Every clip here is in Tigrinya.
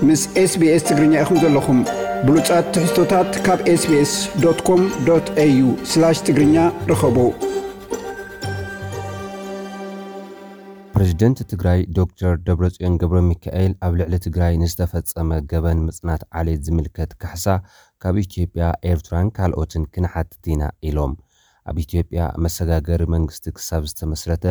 ምስ SBS ትግርኛ ኢኹም ዘለኹም። ብሉጻት ትሕዝቶታት ካብ SBS.com.au/ትግርኛ ርኸቡ። ፕሬዝደንት ትግራይ ዶክተር ደብረጽዮን ገብረ ሚካኤል ኣብ ልዕሊ ትግራይ ንዝተፈጸመ ገበን ምጽናት ዓሌት ዝምልከት ካሕሳ ካብ ኢትዮጵያ፣ ኤርትራን ካልኦትን ክንሓትት ኢና ኢሎም። ኣብ ኢትዮጵያ መሰጋገሪ መንግስቲ ክሳብ ዝተመስረተ፣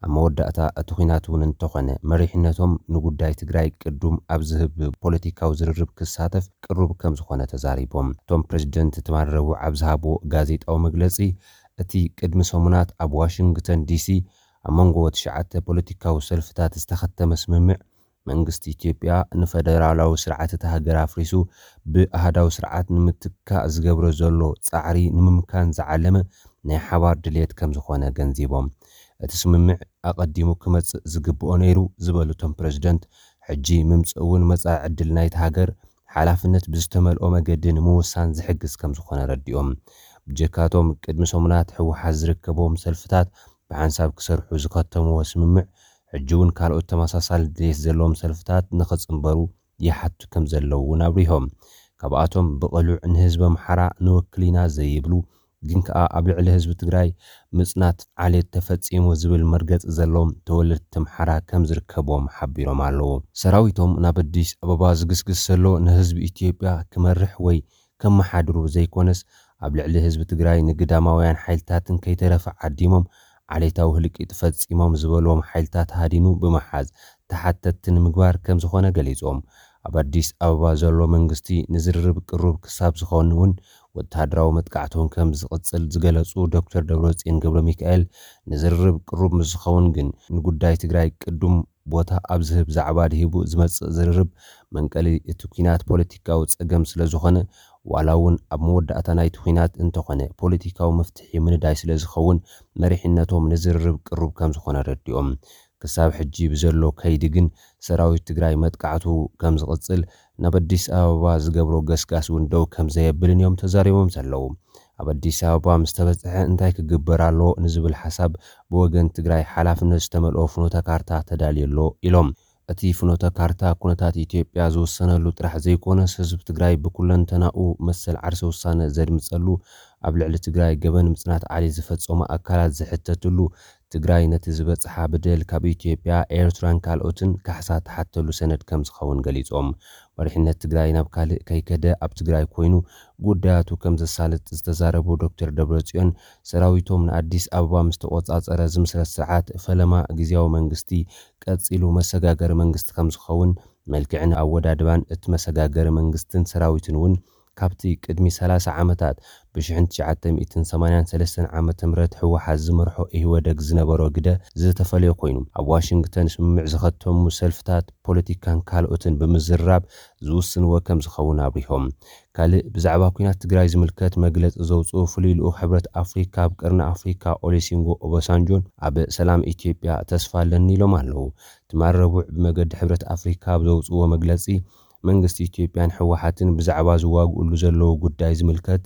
ኣብ መወዳእታ እቲ ኲናት እውን እንተኾነ መሪሕነቶም ንጉዳይ ትግራይ ቅዱም ኣብ ዝህብ ፖለቲካዊ ዝርርብ ክሳተፍ ቅሩብ ከም ዝኾነ ተዛሪቦም። እቶም ፕሬዝደንት ትማሊ ረቡዕ ኣብ ዝሃብዎ ጋዜጣዊ መግለጺ፣ እቲ ቅድሚ ሰሙናት ኣብ ዋሽንግተን ዲሲ ኣብ መንጎ ትሽዓተ ፖለቲካዊ ሰልፍታት ዝተኸተመ ስምምዕ፣ መንግስቲ ኢትዮጵያ ንፈደራላዊ ስርዓት እታ ሃገር ኣፍሪሱ ብኣሃዳዊ ስርዓት ንምትካእ ዝገብሮ ዘሎ ጻዕሪ ንምምካን ዝዓለመ ናይ ሓባር ድልየት ከም ዝኾነ ገንዚቦም። እቲ ስምምዕ ኣቐዲሙ ክመጽእ ዝግብኦ ነይሩ ዝበሉ እቶም ፕሬዝደንት፣ ሕጂ ምምጽእ እውን መጻኢ ዕድል ናይቲ ሃገር ሓላፍነት ብዝተመልኦ መገዲ ንምውሳን ዝሕግዝ ከም ዝኾነ ረዲኦም። ብጀካቶም ቅድሚ ሰሙናት ህወሓት ዝርከቦም ሰልፍታት ብሓንሳብ ክሰርሑ ዝኸተምዎ ስምምዕ፣ ሕጂ እውን ካልኦት ተመሳሳሊ ድሌት ዘለዎም ሰልፍታት ንኽጽንበሩ ይሓቱ ከም ዘለዉ እውን ኣብሪሆም። ካብኣቶም ብቕሉዕ ንህዝቢ ኣምሓራ ንወክል ኢና ዘይብሉ፣ ግን ከኣ ኣብ ልዕሊ ህዝቢ ትግራይ ምጽናት ዓሌት ተፈጺሙ ዝብል መርገጺ ዘለዎም ተወለድቲ ኣምሓራ ከም ዝርከብዎም ሓቢሮም ኣለዉ። ሰራዊቶም ናብ ኣዲስ ኣበባ ዝግስግስ ዘሎ ንህዝቢ ኢትዮጵያ ክመርሕ ወይ ከመሓድሩ ዘይኮነስ፣ ኣብ ልዕሊ ህዝቢ ትግራይ ንግዳማውያን ሓይልታትን ከይተረፈ ዓዲሞም ዓሌታዊ ህልቂት ፈጺሞም ዝበልዎም ሓይልታት ሃዲኑ ብምሓዝ ተሓተትቲ ንምግባር ከም ዝኾነ ገሊጾም። ኣብ ኣዲስ ኣበባ ዘሎ መንግስቲ ንዝርርብ ቅሩብ ክሳብ ዝኾን እውን ወተሃደራዊ መጥቃዕቶም ከም ዝቕጽል ዝገለጹ ዶክተር ደብረጽዮን ገብረ ሚካኤል፣ ንዝርርብ ቅሩብ ምስ ዝኸውን ግን ንጉዳይ ትግራይ ቅዱም ቦታ ኣብ ዝህብ ዛዕባ ድሂቡ ዝመጽእ ዝርርብ መንቀሊ እቲ ኲናት ፖለቲካዊ ጸገም ስለ ዝኾነ፣ ዋላ እውን ኣብ መወዳእታ ናይቲ ኲናት እንተኾነ ፖለቲካዊ መፍትሒ ምንዳይ ስለ ዝኸውን መሪሕነቶም ንዝርርብ ቅሩብ ከም ዝኾነ ረዲኦም። ክሳብ ሕጂ ብዘሎ ከይዲ ግን ሰራዊት ትግራይ መጥቃዕቱ ከም ዝቕጽል፣ ናብ ኣዲስ ኣበባ ዝገብሮ ገስጋስ እውን ደው ከም ዘየብልን እዮም ተዛሪቦም ዘለዉ። ኣብ ኣዲስ ኣበባ ምስ ተበጽሐ እንታይ ክግበር ኣለዎ ንዝብል ሓሳብ ብወገን ትግራይ ሓላፍነት ዝተመልኦ ፍኖተ ካርታ ተዳልዩ ኣሎ ኢሎም። እቲ ፍኖተ ካርታ ኩነታት ኢትዮጵያ ዝውሰነሉ ጥራሕ ዘይኮነስ ህዝቢ ትግራይ ብኩለንተናኡ መሰል ዓርሰ ውሳነ ዘድምጸሉ፣ ኣብ ልዕሊ ትግራይ ገበን ምጽናት ዓሌት ዝፈጸሙ ኣካላት ዝሕተትሉ፣ ትግራይ ነቲ ዝበጽሓ በደል ካብ ኢትዮጵያ፣ ኤርትራን ካልኦትን ካሕሳ ትሓተሉ ሰነድ ከም ዝኸውን ገሊጾም። መሪሕነት ትግራይ ናብ ካልእ ከይከደ ኣብ ትግራይ ኮይኑ ጉዳያቱ ከም ዘሳልጥ ዝተዛረቡ ዶክተር ደብረጽዮን፣ ሰራዊቶም ንኣዲስ ኣበባ ምስ ተቖጻጸረ ዝምስረት ስርዓት ፈለማ ግዝያዊ መንግስቲ ቀጺሉ መሰጋገሪ መንግስቲ ከም ዝኸውን፣ መልክዕን ኣወዳድባን እቲ መሰጋገሪ መንግስትን ሰራዊትን እውን ካብቲ ቅድሚ ሰላሳ ዓመታት ብ1983 ዓመተ ምህረት ህወሓት ዝመርሖ ኢህወደግ ዝነበሮ ግደ ዝተፈለየ ኮይኑ፣ ኣብ ዋሽንግተን ስምምዕ ዝኸተሙ ሰልፍታት ፖለቲካን ካልኦትን ብምዝርራብ ዝውስንዎ ከም ዝኸውን ኣብሪሆም። ካልእ ብዛዕባ ኲናት ትግራይ ዝምልከት መግለጺ ዘውፅኡ ፍሉይ ልኡኽ ሕብረት ኣፍሪካ ኣብ ቀርኒ ኣፍሪካ ኦሊሲንጎ ኦባሳንጆን ኣብ ሰላም ኢትዮጵያ ተስፋ ኣለኒ ኢሎም ኣለዉ። ትማል ረቡዕ ብመገዲ ሕብረት ኣፍሪካ ኣብ ዘውፅዎ መግለፂ፣ መንግስቲ ኢትዮጵያን ህወሓትን ብዛዕባ ዝዋግኡሉ ዘለዉ ጉዳይ ዝምልከት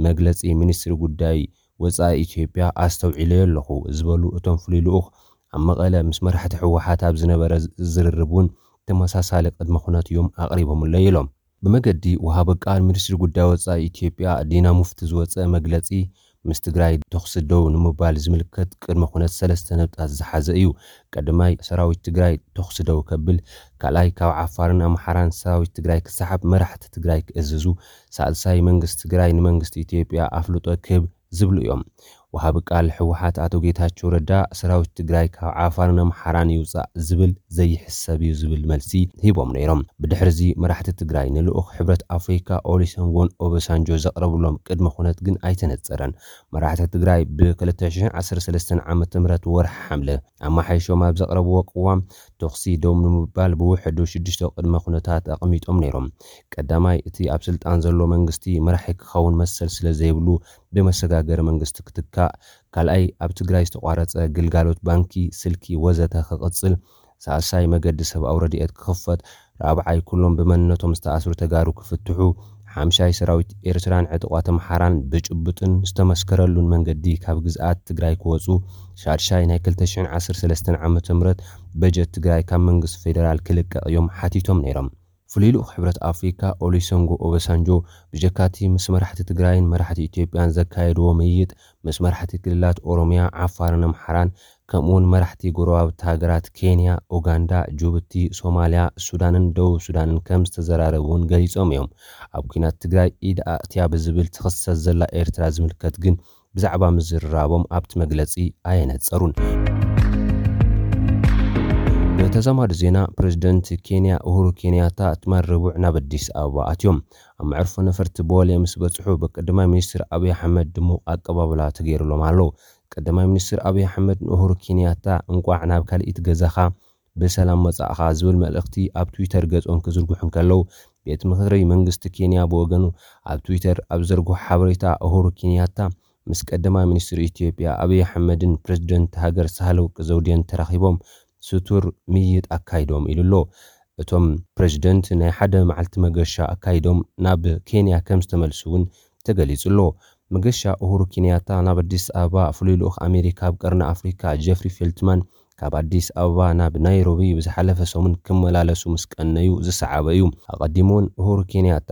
መግለፂ ሚኒስትሪ ጉዳይ ወፃኢ ኢትዮጵያ ኣስተውዒለዮ ኣለኹ ዝበሉ እቶም ፍሉይ ልኡኽ፣ ኣብ መቐለ ምስ መራሕቲ ህወሓት ኣብ ዝነበረ ዝርርብ እውን ተመሳሳሊ ቅድመ ኩነት እዮም ኣቕሪቦምለይ ኢሎም። ብመገዲ ወሃቢ ቃል ሚኒስትሪ ጉዳይ ወፃኢ ኢትዮጵያ ዲና ሙፍቲ ዝወፀ መግለፂ፣ ምስ ትግራይ ተኹሲ ደው ንምባል ዝምልከት ቅድመ ኩነት ሰለስተ ነጥብታት ዝሓዘ እዩ። ቀዳማይ፣ ሰራዊት ትግራይ ተኹሲ ደው ከብል፣ ካልኣይ፣ ካብ ዓፋርን ኣምሓራን ሰራዊት ትግራይ ክሰሓብ መራሕቲ ትግራይ ክእዝዙ፣ ሳልሳይ፣ መንግስቲ ትግራይ ንመንግስቲ ኢትዮጵያ ኣፍልጦ ክህብ ዝብሉ እዮም። ወሃቢ ቃል ህወሓት ኣቶ ጌታቸው ረዳ፣ ሰራዊት ትግራይ ካብ ዓፋርን ኣምሓራን ይውፃእ ዝብል ዘይሕሰብ እዩ ዝብል መልሲ ሂቦም ነይሮም። ብድሕርዚ መራሕቲ ትግራይ ንልኡኽ ሕብረት ኣፍሪካ ኦሊሰንጎን ኦበሳንጆ ዘቕረብሎም ቅድመ ኩነት ግን ኣይተነፀረን። መራሕቲ ትግራይ ብ2013 ዓመተ ምህረት ወርሒ ሓምለ ኣመሓይሾም ኣብ ዘቕረብዎ ቅዋም፣ ተኹሲ ደው ንምባል ብውሕዱ ሽዱሽተ ቅድመ ኩነታት ኣቐሚጦም ነይሮም። ቀዳማይ፣ እቲ ኣብ ስልጣን ዘሎ መንግስቲ መራሒ ክኸውን መሰል ስለ ዘይብሉ ብመሰጋገሪ መንግስቲ ክትካእ፣ ካልኣይ፣ ኣብ ትግራይ ዝተቋረፀ ግልጋሎት ባንኪ፣ ስልኪ ወዘተ ክቕፅል፣ ሳልሳይ፣ መገዲ ሰብኣዊ ረድኤት ክኽፈት፣ ራብዓይ፣ ኩሎም ብመንነቶም ዝተኣስሩ ተጋሩ ክፍትሑ፣ ሓምሻይ፣ ሰራዊት ኤርትራን ዕጡቓት ኣምሓራን ብጭቡጥን ዝተመስከረሉን መንገዲ ካብ ግዝኣት ትግራይ ክወፁ፣ ሻድሻይ፣ ናይ 2013 ዓመተ ምህረት በጀት ትግራይ ካብ መንግስቲ ፌደራል ክልቀቕ እዮም ሓቲቶም ነይሮም። ፍሉይ ልኡኽ ሕብረት ኣፍሪካ ኦሉሰንጎ ኦባሳንጆ ብጀካቲ ምስ መራሕቲ ትግራይን መራሕቲ ኢትዮጵያን ዘካየድዎ ምይይጥ፣ ምስ መራሕቲ ክልላት ኦሮሚያ፣ ዓፋርን ኣምሓራን፣ ከምኡውን መራሕቲ ጎረባብቲ ሃገራት ኬንያ፣ ኡጋንዳ፣ ጅቡቲ፣ ሶማልያ፣ ሱዳንን ደቡብ ሱዳንን ከም ዝተዘራረቡ እውን ገሊጾም እዮም። ኣብ ኲናት ትግራይ ኢድ ኣእትያ ብዝብል ትኽሰስ ዘላ ኤርትራ ዝምልከት ግን ብዛዕባ ምዝርራቦም ኣብቲ መግለጺ ኣየነጸሩን። ብተዛማዲ ዜና፣ ፕሬዝደንት ኬንያ ኡሁሩ ኬንያታ ትማል ረቡዕ ናብ ኣዲስ ኣበባ ኣትዮም። ኣብ መዕርፎ ነፈርቲ ቦሌ ምስ በጽሑ፣ ብቀዳማይ ሚኒስትር ኣብይ ኣሕመድ ድሙቕ ኣቀባብላ ተገይሩሎም ኣሎ። ቀዳማይ ሚኒስትር ኣብይ ኣሕመድ ንኡሁሩ ኬንያታ እንቋዕ ናብ ካልኢት ገዛኻ ብሰላም መጻእኻ ዝብል መልእኽቲ ኣብ ትዊተር ገጾም ክዝርግሑ እንከለዉ፣ ቤት ምኽሪ መንግስቲ ኬንያ ብወገኑ ኣብ ትዊተር ኣብ ዘርግሖ ሓበሬታ፣ ኡሁሩ ኬንያታ ምስ ቀዳማይ ሚኒስትር ኢትዮጵያ ኣብይ ኣሕመድን ፕሬዝደንት ሃገር ሳህለወርቅ ዘውዴን ተራኺቦም ስቱር ምይይጥ ኣካይዶም ኢሉ ኣሎ። እቶም ፕሬዝደንት ናይ ሓደ መዓልቲ መገሻ ኣካይዶም ናብ ኬንያ ከም ዝተመልሱ እውን ተገሊጹ ኣሎ። መገሻ ኡሁሩ ኬንያታ ናብ ኣዲስ ኣበባ ፍሉይ ልኡኽ ኣሜሪካ ኣብ ቀርኒ ኣፍሪካ ጀፍሪ ፌልትማን ካብ ኣዲስ ኣበባ ናብ ናይሮቢ ብዝሓለፈ ሰሙን ክመላለሱ ምስ ቀነዩ ዝሰዓበ እዩ። ኣቐዲሙ እውን ኡሁሩ ኬንያታ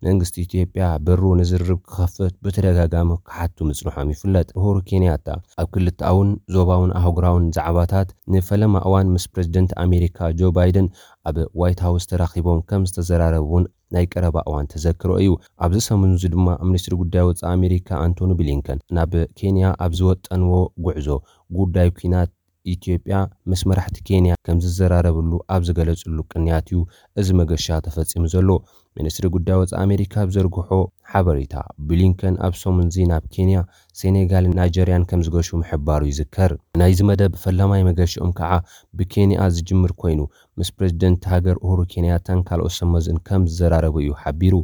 መንግስቲ ኢትዮጵያ በሩ ንዝርርብ ክኸፍት ብተደጋጋሚ ክሓቱ ምጽንሖም ይፍለጥ። ኡሁሩ ኬንያታ ኣብ ክልተኣውን ዞባውን ኣህጉራውን ዛዕባታት ንፈለማ እዋን ምስ ፕሬዝደንት ኣሜሪካ ጆ ባይደን ኣብ ዋይት ሃውስ ተራኺቦም ከም ዝተዘራረቡ እውን ናይ ቀረባ እዋን ተዘክሮ እዩ። ኣብዚ ሰሙን እዚ ድማ ሚኒስትሪ ጉዳይ ወጻኢ ኣሜሪካ ኣንቶኒ ብሊንከን ናብ ኬንያ ኣብ ዝወጠንዎ ጉዕዞ፣ ጉዳይ ኲናት ኢትዮጵያ ምስ መራሕቲ ኬንያ ከም ዝዘራረብሉ ኣብ ዝገለጽሉ ቅንያት እዩ እዚ መገሻ ተፈጺሙ ዘሎ። ሚኒስትሪ ጉዳይ ወጻኢ ኣሜሪካ ኣብ ዘርግሖ ሓበሬታ፣ ብሊንከን ኣብ ሰሙን እዚ ናብ ኬንያ፣ ሴኔጋልን ናይጀርያን ከም ዝገሹ ምሕባሩ ይዝከር። ናይዚ መደብ ፈላማይ መገሽኦም ከዓ ብኬንያ ዝጅምር ኮይኑ፣ ምስ ፕሬዝደንት ሃገር ኡሁሩ ኬንያታን ካልኦት ሰመዝን ከም ዝዘራረቡ እዩ ሓቢሩ።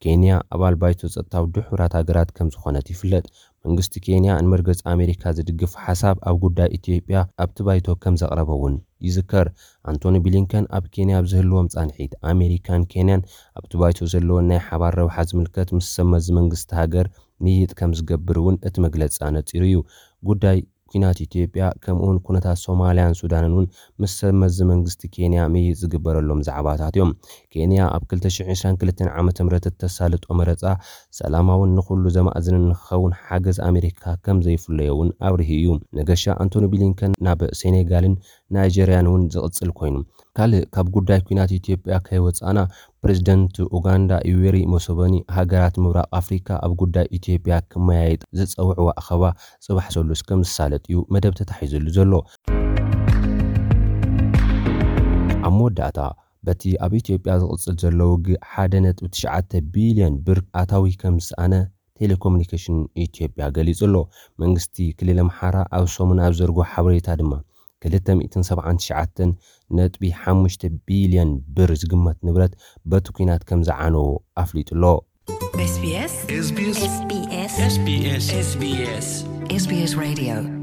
ኬንያ ኣባል ባይቶ ጸጥታ ውድብ ሕቡራት ሃገራት ከም ዝኾነት ይፍለጥ። መንግስቲ ኬንያ ንመርገጺ ኣሜሪካ ዝድግፍ ሓሳብ ኣብ ጉዳይ ኢትዮጵያ ኣብቲ ባይቶ ከም ዘቕረበ እውን ይዝከር። ኣንቶኒ ብሊንከን ኣብ ኬንያ ኣብ ዝህልዎም ጻንሒት፣ ኣሜሪካን ኬንያን ኣብቲ ባይቶ ዘለወን ናይ ሓባር ረብሓ ዝምልከት ምስ ሰመዚ መንግስቲ ሃገር ምይይጥ ከም ዝገብር እውን እቲ መግለጺ ኣነጺሩ እዩ። ጉዳይ ኲናት ኢትዮጵያ ከምኡውን ኩነታት ሶማልያን ሱዳንን እውን ምስ ሰብ መዚ መንግስቲ ኬንያ ምይይጥ ዝግበረሎም ዛዕባታት እዮም። ኬንያ ኣብ ክልተ ሽሕን ዕስራን ክልተን ዓመተ ምህረት እተሳልጦ መረጻ ሰላማውን ንኹሉ ዘማእዝንን ንክኸውን ሓገዝ ኣሜሪካ ከም ዘይፍለዮ እውን ኣብሪሁ እዩ። መገሻ ኣንቶኒ ብሊንከን ናብ ሴኔጋልን ናይጀርያን እውን ዝቕጽል ኮይኑ፣ ካልእ ካብ ጉዳይ ኲናት ኢትዮጵያ ከይወጻእና፣ ፕሬዝደንት ኡጋንዳ ዩዌሪ ሙሴቬኒ ሃገራት ምብራቕ ኣፍሪካ ኣብ ጉዳይ ኢትዮጵያ ክመያየጥ ዝጸውዕዎ ኣኸባ ጽባሕ ሰሉስ ከም ዝሳለጥ እዩ መደብ ተታሒዙሉ ዘሎ። ኣብ መወዳእታ፣ በቲ ኣብ ኢትዮጵያ ዝቕጽል ዘሎ ውግእ ሓደ ነጥቢ ትሽዓተ ቢልዮን ብር ኣታዊ ከም ዝሰኣነ ቴሌኮሙኒኬሽን ኢትዮጵያ ገሊጹ ኣሎ። መንግስቲ ክልል ኣምሓራ ኣብ ሰሙን ኣብ ዘርግሖ ሓበሬታ ድማ ክልተ ሚእትን ሰብዓን ትሽዓተን ነጥቢ ሓሙሽተ ቢልዮን ብር ዝግመት ንብረት በቲ ኲናት ከም ዝዓነዎ ኣፍሊጡ ኣሎ። SBS SBS SBS SBS SBS Radio